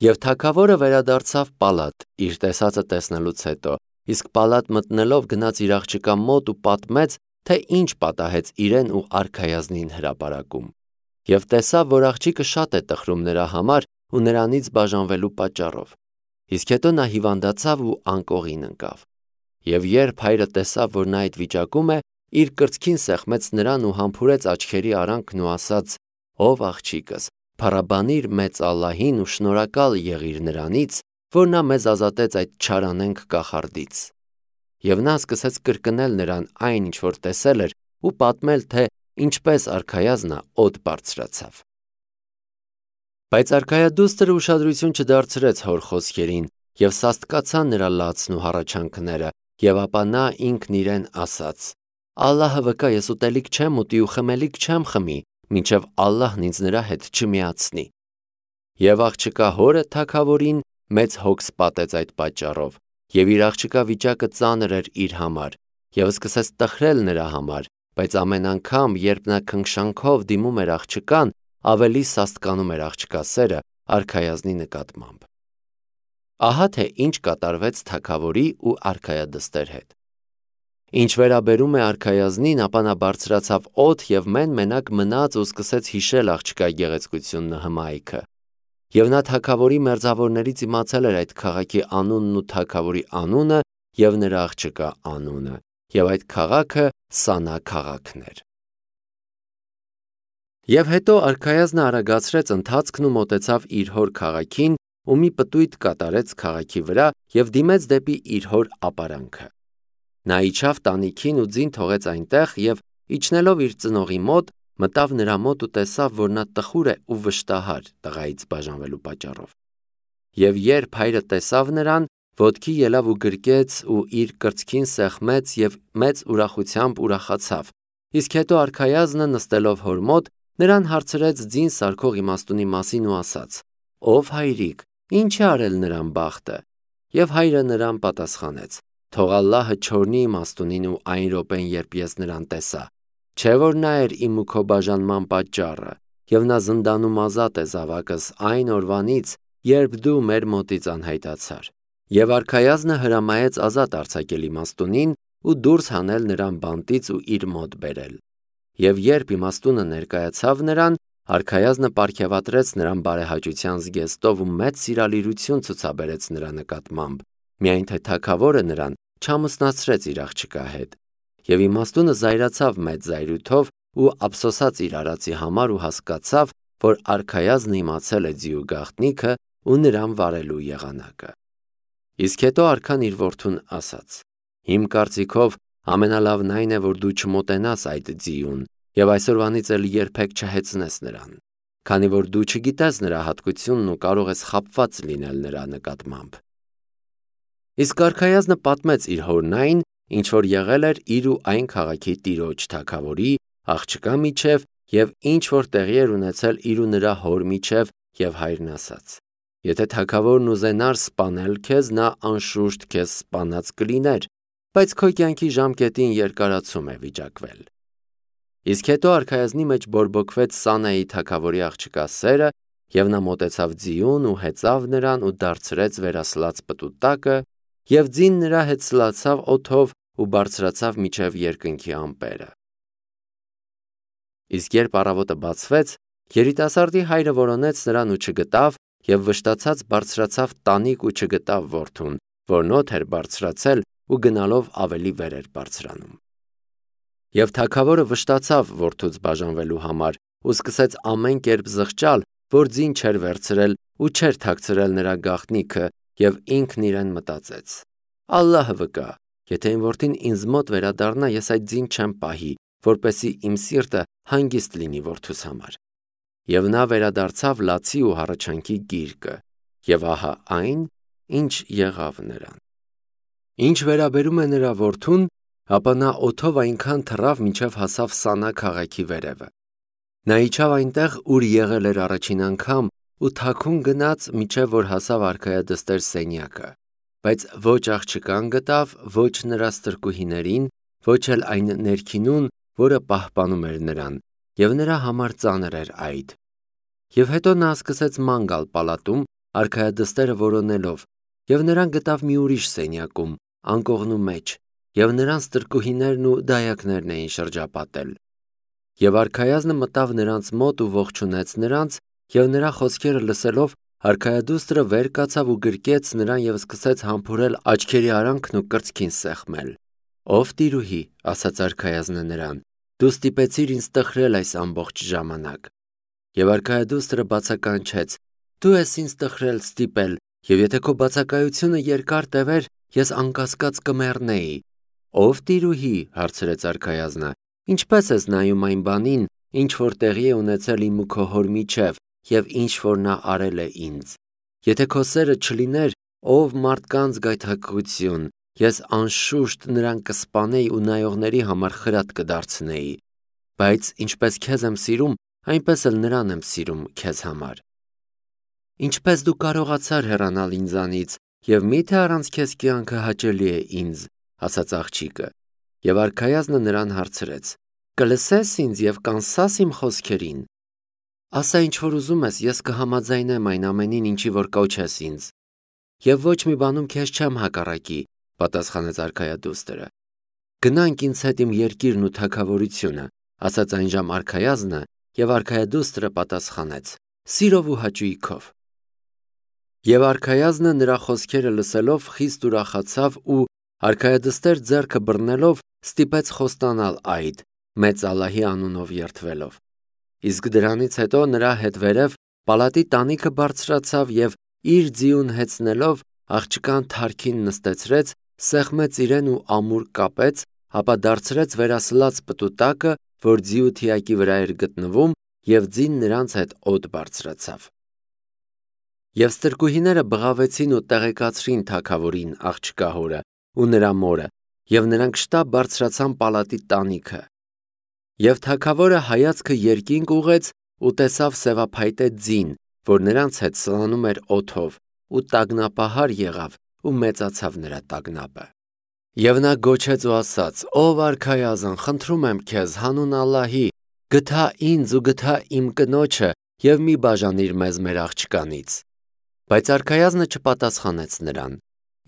Եվ թագավորը վերադարձավ պալատ իր տեսածը տեսնելուց հետո, իսկ պալատ մտնելով գնաց իր աղջկա մոտ ու պատմեց, թե ինչ պատահեց իրեն ու արքայազնին հրապարակում։ Եվ տեսավ, որ աղջիկը շատ է տխրում նրա համար ու նրանից բաժանվելու պատճառով։ Իսկ հետո նա հիվանդացավ ու անկողին ընկավ։ Եվ երբ հայրը տեսավ, որ նա այդ վիճակում է, իր կրծքին սեղմեց նրան ու համբուրեց աչքերի արանքն ու ասաց. «Ով աղջիկս, փառաբանիր մեծ Ալլահին ու շնորհակալ եղիր նրանից, որ նա մեզ ազատեց այդ չարանենգ կախարդից»։ Եվ նա սկսեց կրկնել նրան այն, ինչ որ տեսել էր, ու պատմել, թե ինչպես արքայազնը օդ բարձրացավ։ Բայց արքայադուստրը ուշադրություն չդարձրեց հոր խոսքերին և սաստկացան նրա լացն ու հառաչանքները, և ապա նա ինքն իրեն ասաց. «Ալլահը վկա, ես ուտելիք չեմ ուտի ու խմելիք չեմ խմի, մինչև Ալլահն ինձ նրա հետ չմիացնի»։ Եվ աղջկա հորը թագավորին մեծ հոգս պատեց այդ պատճառով, և իր աղջկա վիճակը ծանր էր իր համար, և սկսեց տխրել նրա համար, բայց ամեն անգամ, երբ նա քնքշանքով դիմում էր աղջկան, ավելի սաստկանում էր աղջկա սերը արքայազնի նկատմամբ։ Ահա թե ինչ կատարվեց թագավորի ու արքայադստեր հետ։ Ինչ վերաբերում է արքայազնին, ապա նա բարձրացավ օդ և մենակ մնաց ու սկսեց հիշել աղջկա գեղեցկությունն ու հմայքը։ Եվ նա թագավորի մերձավորներից իմացել էր այդ քաղաքի անունն ու թագավորի անունը և նրա աղջկա անունը, և այդ քաղաքը Սանա քաղաքն էր։ Եվ հետո արքայազնը արագացրեց ընթացքն ու մոտեցավ իր հոր քաղաքին ու մի պտույտ կատարեց քաղաքի վրա և դիմեց դեպի իր հոր ապարանքը։ Նա իջավ տանիքին ու ձին թողեց այնտեղ և իջնելով իր ծնողի մոտ, մտավ նրա մոտ ու տեսավ, որ նա տխուր է ու վշտահար տղայից բաժանվելու պատճառով։ Եվ երբ հայրը տեսավ նրան, ոտքի ելավ ու գրկեց ու իր կրծքին սեղմեց և մեծ ուրախությամբ ուրախացավ։ Իսկ հետո արքայազնը նստելով հոր մոտ, նրան հարցրեց ձին սարքող իմաստունի մասին ու ասաց. «Ով հայրիկ, ինչ է արել նրան բախտը»։ Եվ հայրը նրան պատասխանեց. «Թող Ալլահը չօրհնի իմաստունին ու այն րոպեն, երբ ես նրան տեսա, չէ՞ որ նա էր իմ ու քո բաժանման պատճառը, և նա զնդանում ազատ է զավակս այն օրվանից, երբ դու մեր մոտից անհայտացար»։ Եվ արքայազնը հրամայեց ազատ արձակել իմաստունին ու դուրս հանել նրան բանտից ու իր մոտ բերել։ Եվ երբ իմաստունը ներկայացավ նրան, արքայազնը պարգևատրեց նրան բարեհաճության զգեստով ու մեծ սիրալիրություն ցուցաբերեց նրա նկատմամբ, միայն թե թագավորը նրան չամուսնացրեց իր աղջկա հետ։ Եվ իմաստունը զայրացավ մեծ զայրույթով ու ափսոսաց իր արածի համար ու հասկացավ, որ արքայազնը իմացել է ձիու գաղտնիքը ու նրան վարելու եղանակը։ Իսկ հետո արքան իր որդուն ասաց. «Իմ կարծիքով ամենալավն այն է, որ դու չմոտենաս այդ ձիուն և այսօրվանից էլ երբեք չհեծնես նրան, քանի որ դու չգիտես նրա հատկությունն ու կարող ես խաբված լինել նրա նկատմամբ»։ Իսկ արքայազնը պատմեց իր հորն այն, ինչ որ եղել էր իր ու այն քաղաքի տիրոջ թագավորի աղջկա միջև և ինչ որ տեղի էր ունեցել իր ու նրա հոր միջև, և հայրն ասաց. «Եթե թագավորն ուզենար սպանել քեզ, նա անշուշտ քեզ սպանած կլիներ, բայց քո կյանքի ժամկետին երկարացում է վիճակվել»։ Իսկ հետո արքայազնի մեջ բորբոքվեց Սանայի թագավորի աղջկա սերը, և նա մոտեցավ ձիուն ու հեծավ նրան ու դարձրեց վերասլաց պտուտակը, և ձին նրա հետ սլացավ օդով ու բարձրացավ մինչև երկնքի ամպերը։ Իսկ երբ առավոտը բացվեց, երիտասարդի հայրը որոնեց նրան ու չգտավ, և վշտացած բարձրացավ տանիք ու չգտավ որդուն, որն օդ էր բարձրացել ու գնալով ավելի վեր էր բարձրանում։ Եվ թագավորը վշտացավ որդուց բաժանվելու համար ու սկսեց ամեն կերպ զղջալ, որ ձին չէր վերցրել ու չէր թաքցրել նրա գաղտնիքը, և ինքն իրեն մտածեց. «Ալլահը վկա, եթե իմ որդին ինձ մոտ վերադառնա, ես այդ ձին չեմ պահի, որպեսզի իմ սիրտը հանգիստ լինի որդուս համար»։ Եվ նա վերադարձավ լացի ու հառաչանքի գիրկը, և ահա այն, ինչ եղավ նրան։ Ինչ վերաբերում է նրա որդուն, ապա նա օդով այնքան թռավ, մինչև հասավ Սանա քաղաքի վերևը։ Նա իջավ այնտեղ, ուր եղել էր առաջին անգամ, ու թաքուն գնաց, մինչև որ հասավ արքայադստեր սենյակը, բայց ոչ աղջկան գտավ, ոչ նրա ստրկուհիներին, ոչ էլ այն ներքինուն, որը պահպանում էր նրան, և նրա համար ծանր էր այդ։ Եվ հետո նա սկսեց ման գալ պալատում արքայադստերը որոնելով, եւ նրան գտավ մի ուրիշ սենյակում, անկողնու մեջ, եւ նրանց տրկուհիներն ու դայակներն էին շրջապատել։ Եվ արքայազնը մտավ նրանց մոտ ու ողջունեց նրանց, եւ նրա խոսքերը լսելով, արքայադուստրը վեր կացավ ու գրկեց նրան եւ սկսեց համբուրել աչքերի արանքն ու կրծքին սեղմել։ Ով տիրուհի, ասաց արքայազնը նրան, դու ստիպեցիր ինձ տխրել այս ամբողջ ժամանակ։ Եվ արքայադուստրը բացականչեց. Դու ես ինձ տխրել ստիպել, եւ եթե քո բացակայությունը երկար տևեր, ես անկասկած կմեռնեի։ Ով տիրուհի, հարցրեց արքայազնը, ինչպես ես նայում այն բանին, ինչ որ տեղի է ունեցել իմ ու քո հոր միջև, եւ ինչ որ նա արել է ինձ։ Եթե քո սերը չլիներ, ով մարդկանց գայթակղություն, ես անշուշտ նրան կսպանեի ու նայողների համար խրատ կդարձնեի։ Բայց ինչպես քեզ եմ սիրում, այնպես էլ նրան եմ սիրում քեզ համար։ Ինչպես դու կարողացար հեռանալ ինձանից, եւ միթե առանց քեզ կյանքը հաճելի է ինձ, ասաց աղջիկը։ Եվ արքայազնը նրան հարցրեց. Կլսես ինձ եւ կանսաս իմ խոսքերին։ Ասա ինչ որ ուզում ես, ես կհամաձայնեմ այն ամենին, ինչի որ կոչես ինձ։ Եվ ոչ մի բանում քեզ չեմ հակառակի, պատասխանեց արքայադուստրը։ Գնանք ինձ հետ իմ երկիրն ու թագավորությունը, ասաց այնժամ արքայազնը, եւ արքայադուստրը պատասխանեց. Սիրով ու հաճույքով։ Եվ արքայազնը նրա խոսքերը լսելով խիստ ուրախացավ ու արքայադստեր ձեռքը բռնելով ստիպեց խոստանալ այդ, մեծ Ալլահի անունով երդվելով։ Իսկ դրանից հետո նրա հետ վերև պալատի տանիքը բարձրացավ եւ իր ձիուն հեծնելով աղջկան թարքին նստեցրեց, սեղմեց իրեն ու ամուր կապեց, ապա դարձրեց վերասլաց պտուտակը, որ ձիու թիակի վրա էր գտնվում, եւ ձին նրանց հետ օդ բարձրացավ։ Եվ ստրկուհիները բղավեցին ու տեղեկացրին թագավորին աղջկա հորը ու նրա մորը, եւ նրանք շտապ բարձրացան պալատի տանիքը։ Եվ թագավորը հայացքը երկինք ուղեց ու տեսավ սևափայտե ձին, որ նրանց հետ սլանում էր օդով, ու տագնապահար եղավ ու մեծացավ նրա տագնապը։ Եվ նա գոչեց ու ասաց. Ով արքայազն, խնդրում եմ քեզ, հանուն Ալլահի, գթա ինձ ու գթա իմ կնոջը եւ մի բաժանիր մեզ մեր աղջկանից։ Բայց արքայազնը չպատասխանեց նրան։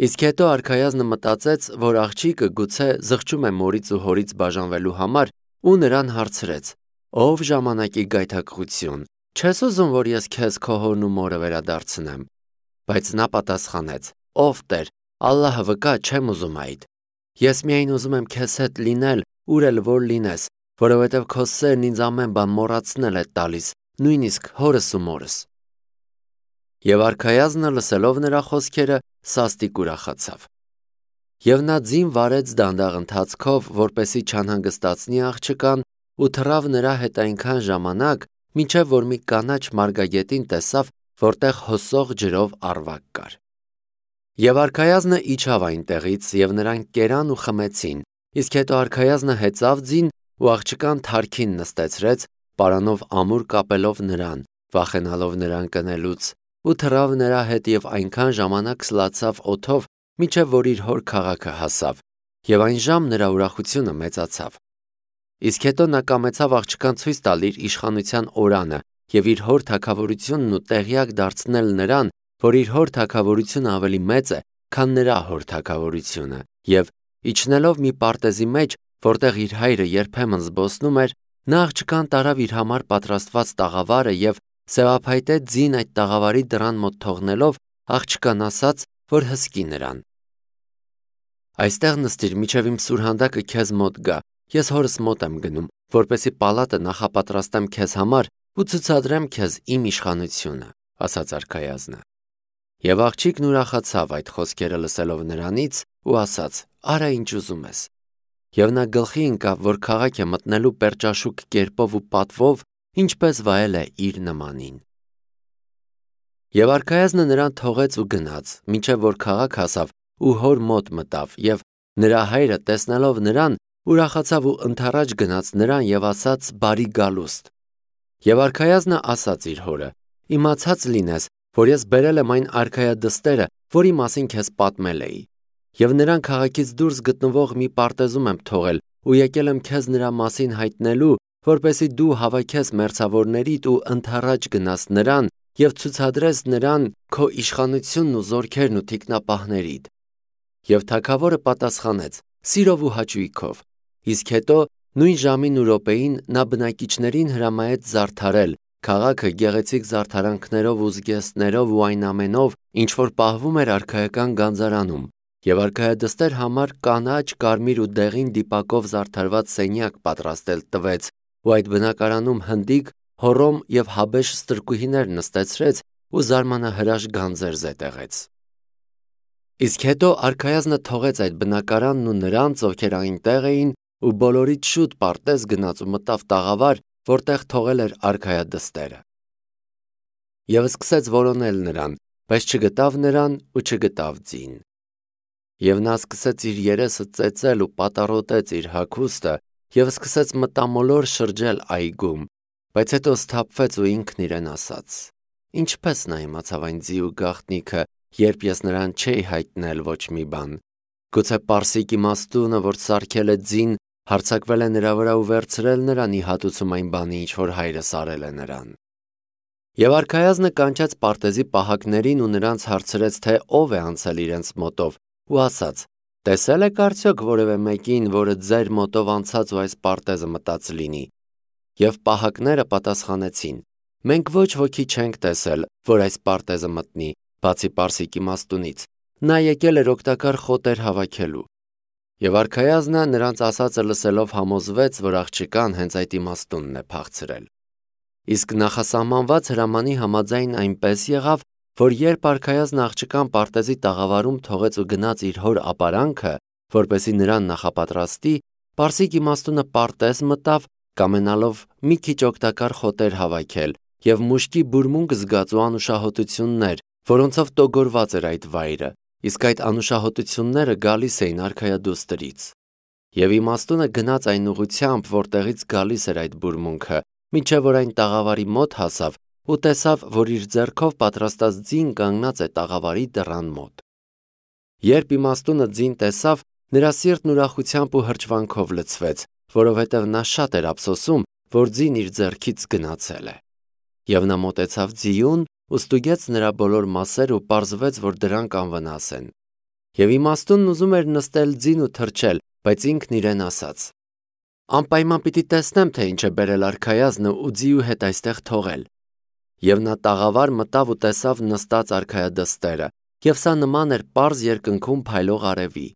Իսկ հետո արքայազնը մտածեց, որ աղջիկը գուցե զղջում է մորից ու հորից բաժանվելու համար ու նրան հարցրեց. Ով ժամանակի գայթակղություն, չես ուզում, որ ես քեզ քո հորն ու մորը վերադարձնեմ։ Բայց նա պատասխանեց. Ով Տեր, Ալլահը վկա, չեմ ուզում այդ։ Ես միայն ուզում եմ քեզ հետ լինել, ուր էլ որ լինես, որովհետև քո սերն ինձ ամեն բան մոռացնել է տալիս, նույնիսկ հորս ու մորս։ Եվ արքայազնը լսելով նրա խոսքերը սաստիկ ուրախացավ։ Եվ նա ձին վարեց դանդաղ ընթացքով, որպեսի չանհանգստացնի աղջկան, ու թռավ նրա հետ այնքան ժամանակ, մինչև որ մի կանաչ մարգագետին տեսավ, որտեղ հոսող ջրով առվակ կար։ Եվ արքայազնը իջավ այնտեղից, եւ նրանք կերան ու խմեցին, իսկ հետո արքայազնը հեծավ ձին ու աղջկան թարքին նստեցրեց, պարանով ամուր կապելով նրան, վախենալով նրան կնելուց, ու թռավ նրա հետ եւ այնքան ժամանակ սլացավ օդով, մինչև որ իր հոր քաղաքը հասավ, եւ այնժամ նրա ուրախությունը մեծացավ։ Իսկ հետո նա կամեցավ աղջկան ցույց տալ իր իշխանության օրանը եւ իր հոր թագավորությունն ու տեղյակ դարձնել նրան, որ իր հոր թագավորությունը ավելի մեծ է, քան նրա հոր թագավորությունը, եւ իջնելով մի պարտեզի մեջ, որտեղ իր հայրը երբեմն զբոսնում էր, նա աղջկան տարավ իր համար պատրաստված տաղավարը եւ սևափայտե ձին այդ տաղավարի դռան մոտ թողնելով, աղջկան ասաց, որ հսկի նրան։ Այստեղ նստիր, միջև իմ սուրհանդակը քեզ մոտ գա, ես հորս մոտ եմ գնում, որպեսի պալատը նախապատրաստեմ քեզ համար ու ցուցադրեմ քեզ իմ իշխանությունը, ասաց արքայազնը։ Եվ աղջիկն ուրախացավ այդ խոսքերը լսելով նրանից ու ասաց. Արա ինչ ուզում ես։ Եվ նա գլխի ընկավ, որ քաղաք է մտնելու պերճաշուկ կերպով ու պատվով, ինչպես վայել է իր նմանին։ Եվ արքայազնը նրան թողեց ու գնաց, մինչև որ քաղաք հասավ ու հոր մոտ մտավ, եւ նրա հայրը տեսնելով նրան, ուրախացավ ու ընթառաջ գնաց նրան եւ ասաց. Բարի գալուստ։ Եվ արքայազնը ասաց իր հորը. Իմացած լինես, որ ես բերել եմ այն արքայադստերը, որի մասին քեզ պատմել էի։ Եվ նրան քաղաքից դուրս գտնվող մի պարտեզում եմ թողել ու եկել եմ քեզ նրա մասին հայտնելու, որպեսզի դու հավաքես մերձավորներիդ ու ընթառաջ գնաս նրան և ցուցադրես նրան քո իշխանությունն ու զորքերն ու թիկնապահներիդ։ Եվ թագավորը պատասխանեց. սիրով ու հաճույքով։ Իսկ հետո նույն ժամին ու րոպեին նա բնակիչներին հրամայեց զարդարել քաղաքը գեղեցիկ զարդարանքներով ու զգեստներով ու այն ամենով, ինչ որ պահվում էր արքայական գանձարանում, և արքայադստեր համար կանաչ, կարմիր ու դեղին դիպակով զարդարված սենյակ պատրաստել տվեց ու այդ բնակարանում հնդիկ, հոռոմ և հաբեշ ստրկուհիներ նստեցրեց ու զարմանահրաշ գանձեր զետեղեց։ Իսկ հետո արքայազնը թողեց այդ բնակարանն ու նրանց, ովքեր այնտեղ էին, ու բոլորից շուտ պարտեզ գնաց ու մտավ տաղավար, որտեղ թողել էր արքայադստերը։ Եվ սկսեց որոնել նրան, բայց չգտավ նրան ու չգտավ ձին։ Եվ նա սկսեց իր երեսը ծեծել ու պատառոտեց իր հագուստը և սկսեց մտամոլոր շրջել այգում, բայց հետո սթափվեց ու ինքն իրեն ասաց. ինչպես նա իմացավ այն ձի ու գաղտնիքը, երբ ես նրան չէի հայտնել ոչ մի բան։ Գուցե պարսիկ իմաստունը, որ սարքել է ձին, հարձակվել է նրա վրա ու վերցրել նրան ի հատուցում այն բանի, ինչ որ հայրս արել է նրան։ Եվ արքայազնը կանչեց պարտեզի պահակներին ու նրանց հարցրեց, թե ով է անցել իրենց մոտով, ու ասաց. տեսել եք արդյոք որևէ մեկին, որը ձեր մոտով անցած ու այս պարտեզը մտած լինի։ Եվ պահակները պատասխանեցին. մենք ոչ ոքի չենք տեսել, որ այս պարտեզը մտնի, բացի պարսիկ իմաստունից, նա եկել էր օգտակար խոտեր հավաքելու։ Եվ արքայազնը նրանց ասածը լսելով համոզվեց, որ աղջկան հենց այդ իմաստունն է փախցրել։ Իսկ նախասահմանված հրամանի համաձայն այնպես եղավ, որ երբ արքայազնը աղջկան պարտեզի տաղավարում թողեց ու գնաց իր հոր ապարանքը, որպեսզի նրան նախապատրաստի, պարսիկ իմաստունը պարտեզ մտավ, կամենալով մի քիչ օգտակար խոտեր հավաքել և մուշկի բուրմունք զգաց ու անուշահոտություններ, որոնցով տոգորված էր այդ վայրը, իսկ այդ անուշահոտությունները գալիս էին արքայադուստրից։ Եվ իմաստունը գնաց այն ուղղությամբ, որտեղից գալիս էր այդ բուրմունքը, մինչև որ այն տաղավարի մոտ հասավ ու տեսավ, որ իր ձեռքով պատրաստած ձին կանգնած է տաղավարի դռան մոտ։ Երբ իմաստունը ձին տեսավ, նրա սիրտն ուրախությամբ ու հրճվանքով լցվեց, որովհետև նա շատ էր ափսոսում, որ ձին իր ձեռքից գնացել է։ Եվ նա մոտեցավ ձիուն ու ստուգեց նրա բոլոր մասերը ու պարզվեց, որ դրանք անվնաս են։ Եվ իմաստունն ուզում էր նստել ձին ու թռչել, բայց ինքն իրեն ասաց. անպայման պիտի տեսնեմ, թե ինչ է բերել արքայազնը ու ձիու հետ այստեղ թողել։ Եվ նա տաղավար մտավ ու տեսավ նստած արքայադստերը, և սա նման էր պարզ երկնքում փայլող արևի։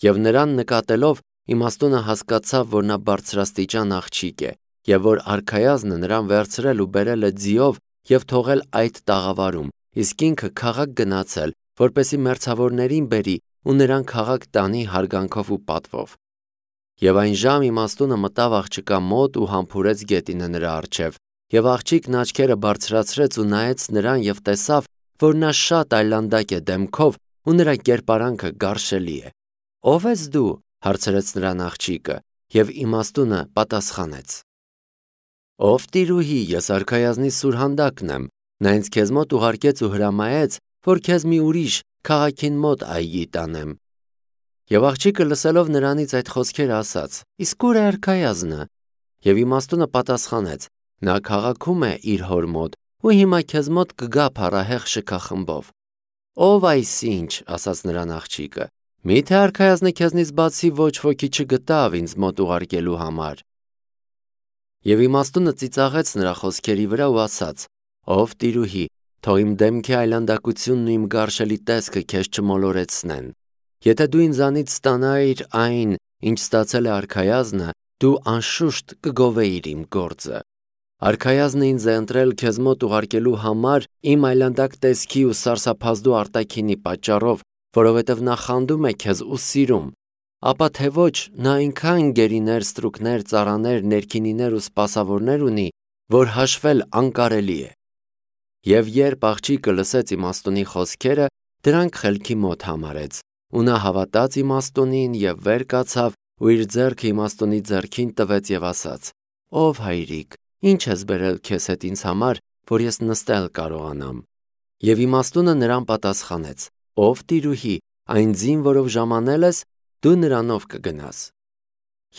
Եվ նրան նկատելով, իմաստունը հասկացավ, որ նա բարձրաստիճան աղջիկ է, և որ արքայազնը նրան վերցրել ու բերել է ձիով և թողել այդ տաղավարում, իսկ ինքը քաղաք գնացել, որպեսզի մերձավորներին բերի ու նրան քաղաք տանի հարգանքով ու պատվով։ Եվ այն ժամ իմաստունը մտավ աղջկա մոտ ու համբուրեց գետինը նրա առջև, և աղջիկն աչքերը բարձրացրեց ու նայեց նրան և տեսավ, որ նա շատ այլանդակ է դեմքով ու նրա կերպարանքը գարշելի է։ Ո՞վ ես դու, հարցրեց նրան աղջիկը, և իմաստունը պատասխանեց. ով տիրուհի, ես արքայազնի սուրհանդակն եմ, նա ինձ քեզ մոտ ուղարկեց ու հրամայեց, որ քեզ մի ուրիշ քաղաքին մոտ այգի տանեմ։ Եվ աղջիկը լսելով նրանից այդ խոսքերը ասաց. իսկ ուր է արքայազնը։ Եվ իմաստունը պատասխանեց. նա քաղաքում է իր հոր մոտ ու հիմա քեզ մոտ կգա փառահեղ շքախմբով։ Ով այսինչ, ասաց նրան աղջիկը, միթե արքայազնը քեզնից բացի ոչ ոքի չգտավ ինձ մոտ ուղարկելու համար։ Եվ իմաստունը ծիծաղեց նրա խոսքերի վրա ու ասաց. ով տիրուհի, թող իմ դեմքի այլանդակությունն ու իմ գարշելի տեսքը քեզ չմոլորեցնեն։ Եթե դու ինձանից ստանայիր այն, ինչ ստացել է արքայազնը, դու անշուշտ կգովեիր իմ գործը։ Արքայազնը ինձ է ընտրել քեզ մոտ ուղարկելու համար իմ այլանդակ տեսքի ու սարսափազդու արտաքինի պատճառով, որովհետև նա խանդում է քեզ ու սիրում, ապա թե ոչ նա այնքան գերիներ, ստրուկներ, ծառաներ, ներքինիներ ու սպասավորներ ունի, որ հաշվել անկարելի է։ Եվ երբ աղջիկը լսեց իմաստունի խոսքերը, դրանք խելքի մոտ համարեց, ու նա հավատաց իմաստունին և վեր կացավ ու իր ձեռքը իմաստունի ձեռքին տվեց և ասաց. ով հայրիկ, ինչ ես բերել քեզ հետ ինձ համար, որ ես նստել կարողանամ։ Եվ իմաստունը նրան պատասխանեց. ով տիրուհի, այն ձին, որով ժամանել ես, դու նրանով կգնաս։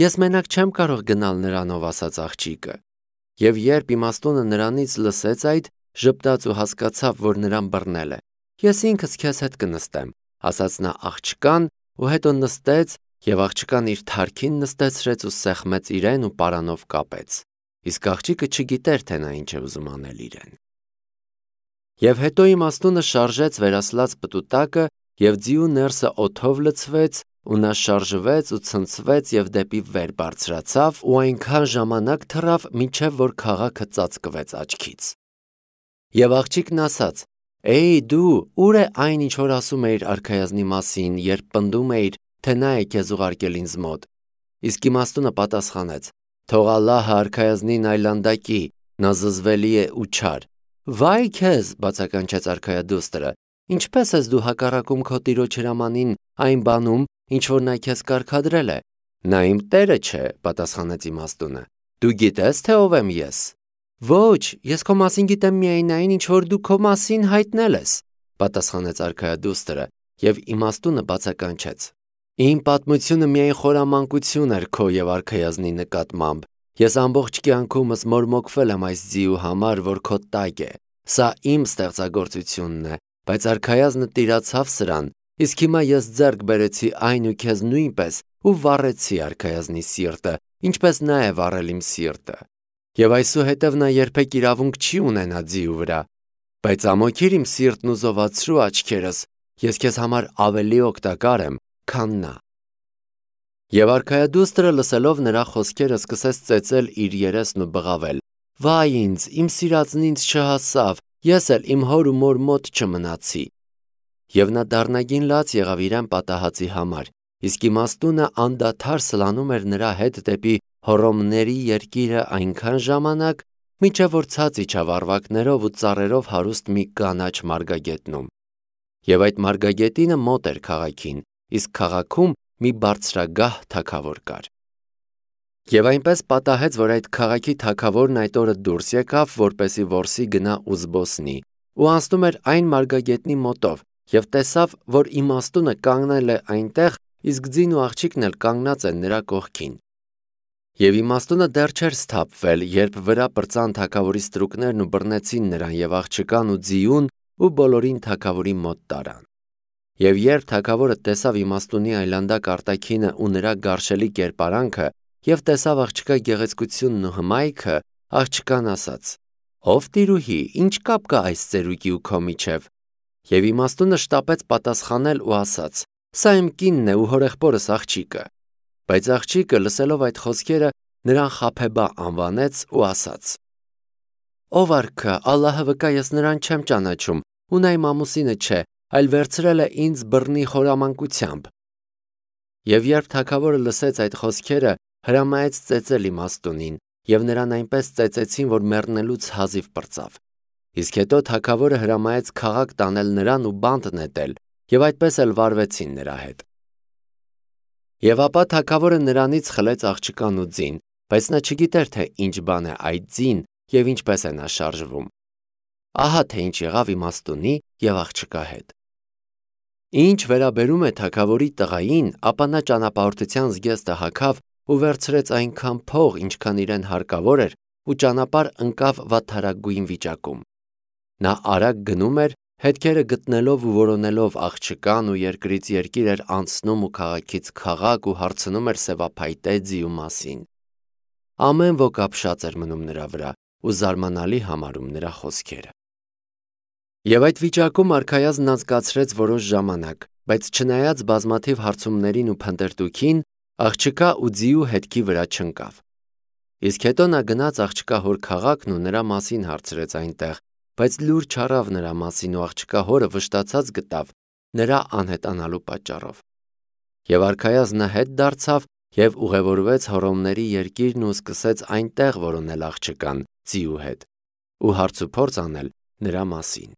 Ես մենակ չեմ կարող գնալ նրանով, ասաց աղջիկը։ Եվ երբ իմաստունը նրանից լսեց այդ, ժպտաց ու հասկացավ, որ նրան բռնել է։ Ես ինքս քեզ հետ կնստեմ, ասաց նա աղջկան ու հետո նստեց եւ աղջկան իր թարքին նստեցրեց ու սեղմեց իրեն ու պարանով կապեց։ Իսկ աղջիկը չգիտեր, թե նա ինչ է ուզում անել իրեն։ Եվ հետո իմաստունը շարժեց վերասլաց պտուտակը եւ ձիու ներսը օդով լցվեց ու նա շարժվեց ու ցնցվեց եւ դեպի վեր բարձրացավ ու այնքան ժամանակ թռավ, մինչեւ որ քաղաքը ծածկվեց աչքից։ Եվ աղջիկն ասաց. «Էй դու, ուր է այն, ինչ որ ասում էիր արքայազնի մասին, երբ պնդում էիր, թե նա է քեզ ուղարկել ինձ մոտ»։ Իսկ իմաստունը պատասխանեց. «Թող Ալլահը արքայազնին այլանդակի, նա զզվելի է ու չար»։ Վայ քեզ, բացականչեց արքայադուստրը, ինչպես ես դու հակառակում քո տիրոջ հրամանին այն բանում, ինչ որ նա քեզ կարգադրել է։ Նա իմ տերը չէ, պատասխանեց իմաստունը։ Դու գիտես, թե ով եմ ես։ Ոչ, ես քո մասին գիտեմ միայն այն, ինչ որ դու քո մասին հայտնել ես, պատասխանեց արքայադուստրը, եւ իմաստունը բացականչեց. Իմ պատմությունը միայն խորամանկություն էր քո եւ արքայազնի նկատմամբ։ Ես ամբողջ կյանքումս մորմոքվել եմ այս ձիու համար, որ քո տակ է։ Սա իմ ստեղծագործությունն է, բայց արքայազնը տիրացավ սրան, իսկ հիմա ես ձեռք բերեցի այն ու քեզ նույնպես ու վառեցի արքայազնի սիրտը, ինչպես նա է վառել իմ սիրտը։ Եվ այսուհետև նա երբեք իրավունք չի ունենա ձիու վրա, բայց ամոքիր իմ սիրտն ու զովացրու աչքերս, ես քեզ համար ավելի օգտակար եմ, քան նա։ Եվ արքայադուստրը լսելով նրա խոսքերը սկսեց ծեծել իր երեսն ու բղավել. Վայ ինձ, իմ սիրածն ինձ չհասավ, ես էլ իմ հոր ու մոր մոտ չմնացի։ Եվ նա դառնագին լաց եղավ իրեն պատահածի համար, իսկ իմաստունը անդադար սլանում էր նրա հետ դեպի հոռոմների երկիրը այնքան ժամանակ, մինչև որ ցած իջավ առվակներով ու ծառերով հարուստ մի կանաչ մարգագետնում։ Եվ այդ մարգագետինը մոտ էր քաղաքին, իսկ քաղաքում մի բարձրագահ թագավոր կար։ Եվ այնպես պատահեց, որ այդ քաղաքի թագավորն այդ օրը դուրս եկավ, որպեսի որսի գնա ու զբոսնի, ու անցնում էր այն մարգագետնի մոտով, եւ տեսավ, որ իմաստունը կանգնել է այնտեղ, իսկ ձին ու աղջիկն էլ կանգնած են նրա կողքին։ Եվ իմաստունը դեռ չէր սթափվել, երբ վրա պրծան թագավորի ստրուկներն ու բռնեցին նրան եւ աղջկան ու ձիուն ու բոլորին թագավորի մոտ տարան։ Եվ երբ թագավորը տեսավ իմաստունի այլանդակ արտաքինը ու նրա գարշելի կերպարանքը եւ տեսավ աղջկա գեղեցկությունն ու հմայքը, աղջկան ասաց. Ով տիրուհի, ինչ կապ կա այս ծերուկի ու քո միջև։ Եվ իմաստունը շտապեց պատասխանել ու ասաց. Սա իմ կինն է ու հորեղբորս աղջիկը։ Բայց աղջիկը լսելով այդ խոսքերը նրան Խափեբա անվանեց ու ասաց. Ով արքա, Ալլահը վկա, ես նրան չեմ ճանաչում, ու նա իմ ամուսինը չէ, այլ վերցրել է ինձ բռնի խորամանկությամբ։ Եվ երբ թագավորը լսեց այդ խոսքերը, հրամայեց ծեծել իմաստունին, եւ նրան այնպես ծեծեցին, որ մեռնելուց հազիվ պրծավ։ Իսկ հետո թագավորը հրամայեց քաղաք տանել նրան ու բանտ նետել, եւ այդպես էլ վարվեցին նրա հետ։ Եվ ապա թագավորը նրանից խլեց աղջկան ու ձին, բայց նա չգիտեր, թե ինչ բան է այդ ձին եւ ինչպես է նա շարժվում։ Ահա թե ինչ եղավ իմաստունի եւ աղջկա հետ։ Ինչ վերաբերում է թագավորի տղային, ապա նա ճանապարհորդության զգեստը հագավ ու վերցրեց այնքան փող, ինչքան իրեն հարկավոր էր, ու ճանապարհ ընկավ վատթարագույն վիճակում։ Նա արագ գնում էր, հետքերը գտնելով ու որոնելով աղջկան ու երկրից երկիր էր անցնում ու քաղաքից քաղաք ու հարցնում էր սևափայտե ձիու մասին։ Ամեն ոք ապշած էր մնում նրա վրա ու զարմանալի համարում նրա խոսքերը։ Եվ այդ վիճակում արքայազնն անցկացրեց որոշ ժամանակ, բայց չնայած բազմաթիվ հարցումներին ու փնտրտուքին, աղջկա ու ձիու հետքի վրա չընկավ։ Իսկ հետո նա գնաց աղջկա հոր քաղաքն ու նրա մասին հարցրեց այնտեղ, բայց լուր չառավ նրա մասին ու աղջկա հորը վշտացած գտավ նրա անհետանալու պատճառով։ Եվ արքայազնը հետ դարձավ եւ ուղևորվեց հոռոմների երկիրն ու սկսեց այնտեղ որոնել աղջկան ձիու հետ ու հարց ու փորձ անել նրա մասին։